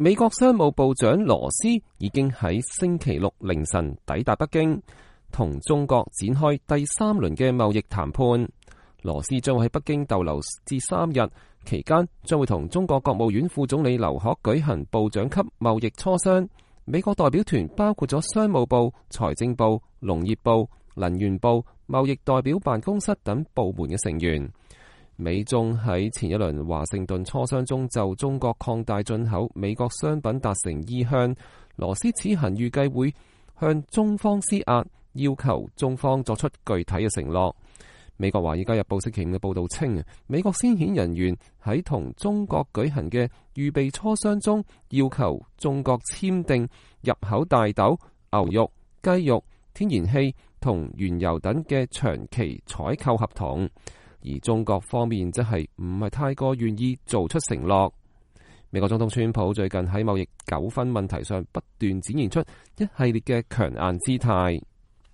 美國商務部長羅斯已經喺星期六凌晨抵達北京，同中國展開第3輪嘅貿易談判。羅斯將會喺北京逗留至3日，期間將會同中國國務院副總理劉鶴舉行部長級貿易磋商。美國代表團包括咗商務部、財政部、農業部、能源部、貿易代表辦公室等部門嘅成員。美中喺前一輪華盛頓磋商中就中國擴大進口美國商品達成意向。羅斯此行預計會向中方施壓，要求中方作出具體嘅承諾。美國華爾街日報星期五嘅報道稱，美國先遣人員喺同中國舉行嘅預備磋商中，要求中國簽訂入口大豆、牛肉、雞肉、天然氣同原油等嘅長期採購合同。而中國方面則係唔係太過願意做出承諾。美國總統川普最近喺貿易糾紛問題上不斷展現出一系列嘅強硬姿態。